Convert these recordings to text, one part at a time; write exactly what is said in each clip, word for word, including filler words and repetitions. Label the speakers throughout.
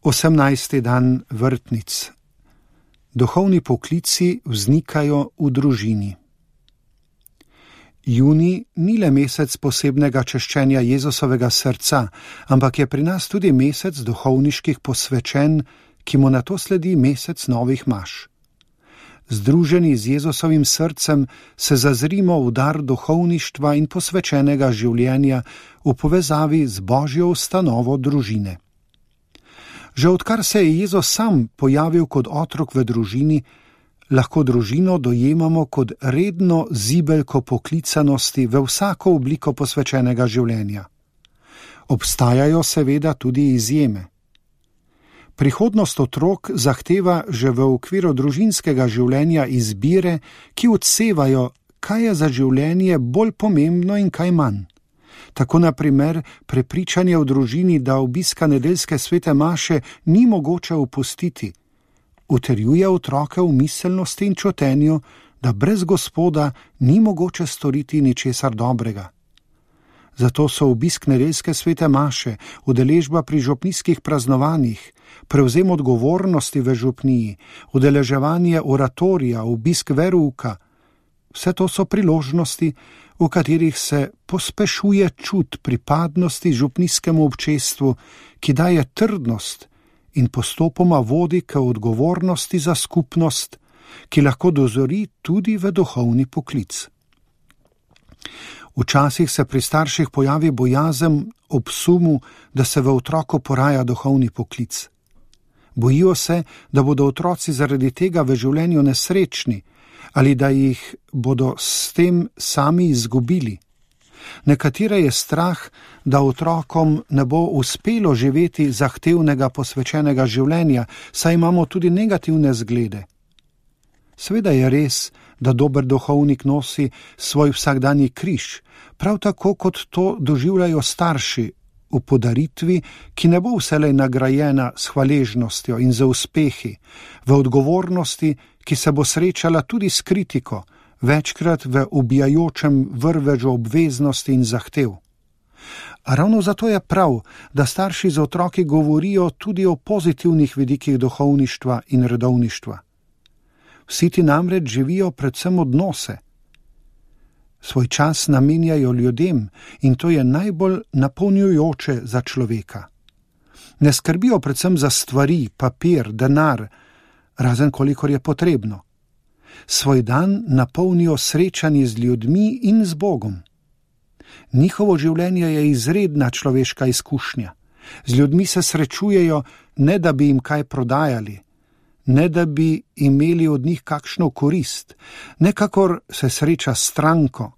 Speaker 1: osemnajsti dan vrtnic. Duhovni poklici vznikajo v družini. Junij ni le mesec posebnega češčenja Jezusovega srca, ampak je pri nas tudi mesec duhovniških posvečen, ki mu nato sledi mesec novih maš. Združeni z Jezusovim srcem se zazrimo v dar duhovništva in posvečenega življenja v povezavi z Božjo ustanovo družine. Že odkar se je Jezus sam pojavil kot otrok v družini, lahko družino dojemamo kot redno zibelko poklicanosti v vsako obliko posvečenega življenja. Obstajajo seveda tudi izjeme. Prihodnost otrok zahteva že v okviru družinskega življenja izbire, ki odsevajo, kaj je za življenje bolj pomembno in kaj manj. Tako na primer prepričanje v družini, da obiska nedeljske svete maše ni mogoče opustiti, utrjuje otroke v miselnosti in čutenju, da brez Gospoda ni mogoče storiti ničesar dobrega. Zato so obisk nedeljske svete maše, udeležba pri župnijskih praznovanjih, prevzem odgovornosti v župniji, udeleževanje oratorija, obisk verouka, vse to so priložnosti, v katerih se pospešuje čut pripadnosti župnijskemu občestvu, ki daje trdnost in postopoma vodi k odgovornosti za skupnost, ki lahko dozori tudi v duhovni poklic. Včasih se pri starših pojavi bojazen ob sumu, da se v otroku poraja duhovni poklic. Bojijo se, da bodo otroci zaradi tega v življenju nesrečni ali da jih bodo s tem sami izgubili. Nekatere je strah, da otrokom ne bo uspelo živeti zahtevnega posvečenega življenja, saj imamo tudi negativne zglede. Seveda je res, da dober duhovnik nosi svoj vsakdanji križ, prav tako kot to doživljajo starši v podaritvi, ki ne bo vselej nagrajena s hvaležnostjo in za uspehi, v odgovornosti, ki se bo srečala tudi s kritiko, večkrat v ubijajočem vrvežu obveznosti in zahtev. A ravno zato je prav, da starši z otroki govorijo tudi o pozitivnih vidikih duhovništva in redovništva. Vsi ti namreč živijo predvsem odnose. Svoj čas namenjajo ljudem in to je najbolj napolnjujoče za človeka. Ne skrbijo predvsem za stvari, papir, denar, razen kolikor je potrebno. Svoj dan napolnijo srečanje z ljudmi in z Bogom. Njihovo življenje je izredna človeška izkušnja. Z ljudmi se srečujejo, ne da bi jim kaj prodajali, ne da bi imeli od njih kakšno korist, nekakor se sreča s stranko,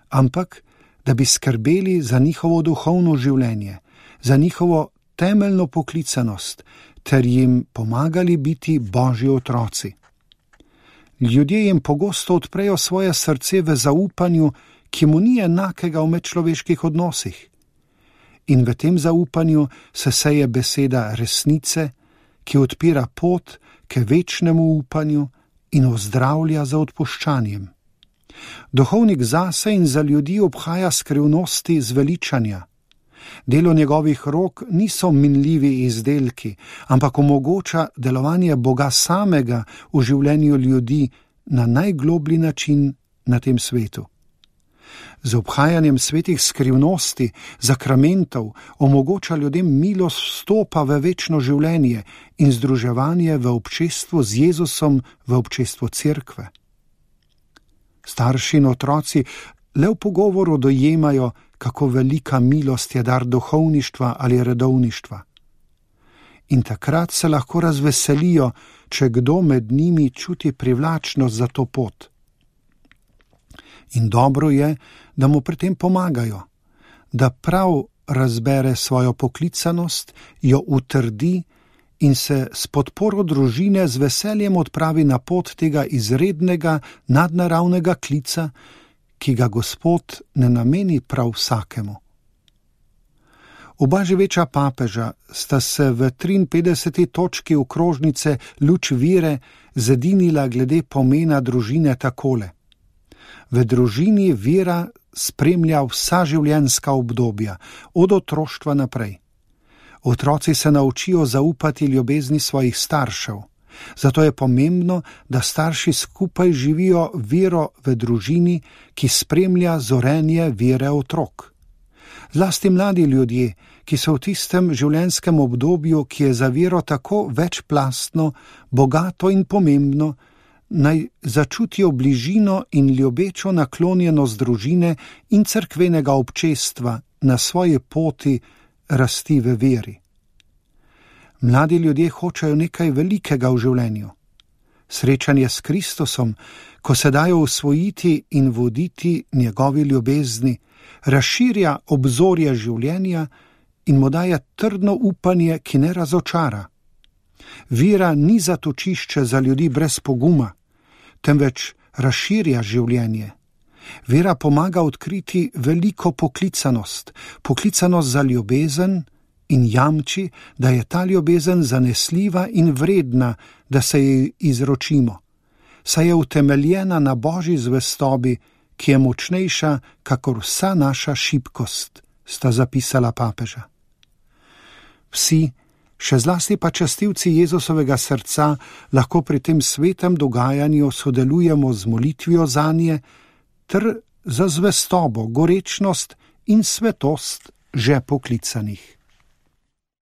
Speaker 1: ampak da bi skrbeli za njihovo duhovno življenje, za njihovo temeljno poklicanost, ter jim pomagali biti Božji otroci. Ljudje jim pogosto odprejo svoje srce v zaupanju, ki mu ni enakega v medčloveških odnosih. In v tem zaupanju se seje beseda resnice, ki odpira pot k večnemu upanju in ozdravlja za odpuščanjem. Duhovnik zase in za ljudi obhaja skrivnosti zveličanja. Delo njegovih rok niso minljivi izdelki, ampak omogoča delovanje Boga samega v življenju ljudi na najgloblji način na tem svetu. Z obhajanjem svetih skrivnosti, zakramentov, omogoča ljudem milost vstopa v večno življenje in združevanje v občestvu z Jezusom, v občestvu cerkve. Starši in otroci le v pogovoru dojemajo, kako velika milost je dar duhovništva ali redovništva. In takrat se lahko razveselijo, če kdo med njimi čuti privlačnost za to pot. In dobro je, da mu pri tem pomagajo, da prav razbere svojo poklicanost, jo utrdi in se s podporo družine z veseljem odpravi na pot tega izrednega, nadnaravnega klica, ki ga Gospod ne nameni prav vsakemu. Oba živeča papeža sta se v triinpetdeseti točki okrožnice Luč vire zedinila glede pomena družine takole. V družini vera spremlja vsa življenjska obdobja, od otroštva naprej. Otroci se naučijo zaupati ljubezni svojih staršev. Zato je pomembno, da starši skupaj živijo vero v družini, ki spremlja zorenje vere otrok. Zlasti mladi ljudje, ki so v tistem življenjskem obdobju, ki je za vero tako večplastno, bogato in pomembno, naj začutijo bližino in ljubečo naklonjenost družine in cerkvenega občestva na svoji poti rasti v veri. Mladi ljudje hočejo nekaj velikega v življenju. Srečanje s Kristusom, ko se dajo usvojiti in voditi njegovi ljubezni, razširja obzorje življenja in mu daje trdno upanje, ki ne razočara. Vera ni zatočišče za ljudi brez poguma, temveč razširja življenje. Vera pomaga odkriti veliko poklicanost, poklicanost za ljubezen in jamči, da je ta ljubezen zanesljiva in vredna, da se ji izročimo, saj je utemeljena na Božji zvestobi, ki je močnejša kakor vsa naša šibkost, sta zapisala papeža. Vsi, še zlasti pa častilci Jezusovega srca, lahko pri tem svetem dogajanju sodelujemo z molitvijo zanje ter za zvestobo, gorečnost in svetost že poklicanih.